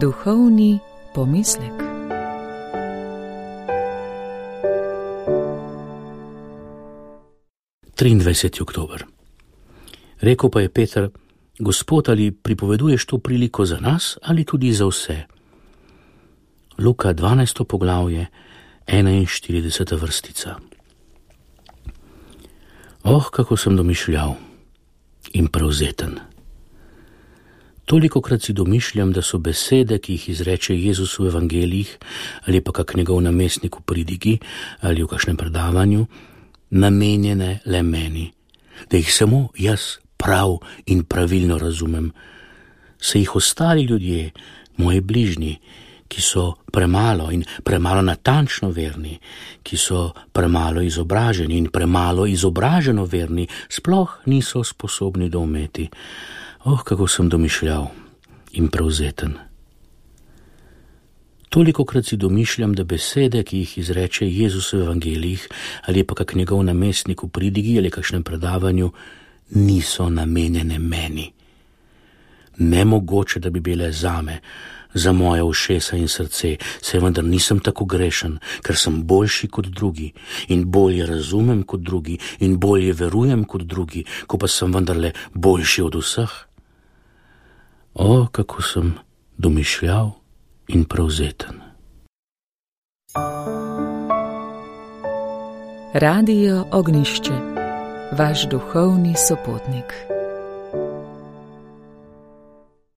Duhovni pomislek. Oktober. Rekel pa je Peter: Gospod, ali pripoveduješ to priliko za nas ali tudi za vse? Luka 12. poglavje, 41. vrstica. Kako sem domišljal in prevzeten. Tolikokrat si domišljam, da so besede, ki jih izreče Jezus v evangelijih ali pa kak njegov namestnik v pridigi ali v kakšnem predavanju, namenjene le meni, da jih samo jaz prav in pravilno razumem. Se jih ostali ljudje, moji bližnji, ki so premalo in premalo natančno verni, ki so premalo izobraženi in premalo izobraženo verni, sploh niso sposobni doumeti. Kako sem domišljal in prevzeten. Tolikokrat si domišljam, da besede, ki jih izreče Jezus v evangelijih ali pa kak njegov namestnik v pridigi ali kakšnem predavanju, niso namenjene meni. Nemogoče, da bi bile zame, za moje ušesa in srce, saj vendar nisem tako grešen, ker sem boljši kot drugi in bolje razumem kot drugi in bolje verujem kot drugi, ko pa sem vendarle boljši od vseh. Kako sem domišljal in prevzeten. Radio Ognjišče, vaš duhovni sopotnik.